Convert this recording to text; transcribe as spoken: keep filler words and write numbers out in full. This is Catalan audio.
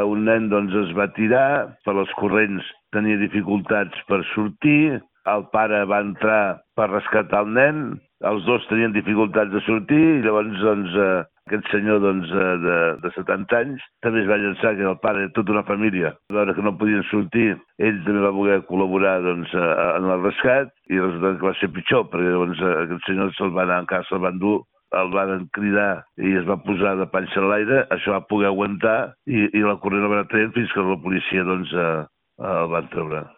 Un nen doncs, es va tirar, per les corrents tenia dificultats per sortir, el pare va entrar per rescatar el nen, els dos tenien dificultats de sortir i llavors doncs, eh, aquest senyor doncs, eh, de, de setanta anys també es va llançar, que el pare de tota una família, a veure que no podien sortir, ell també va voler col·laborar doncs, en el rescat i resulta que va ser pitjor, perquè llavors aquest senyor se'l va anar encara, se'l van dur, el van cridar i es va posar de panxa a l'aire, això va poder aguantar i, i la corrent el va traient fins que la policia doncs, eh, el van treure.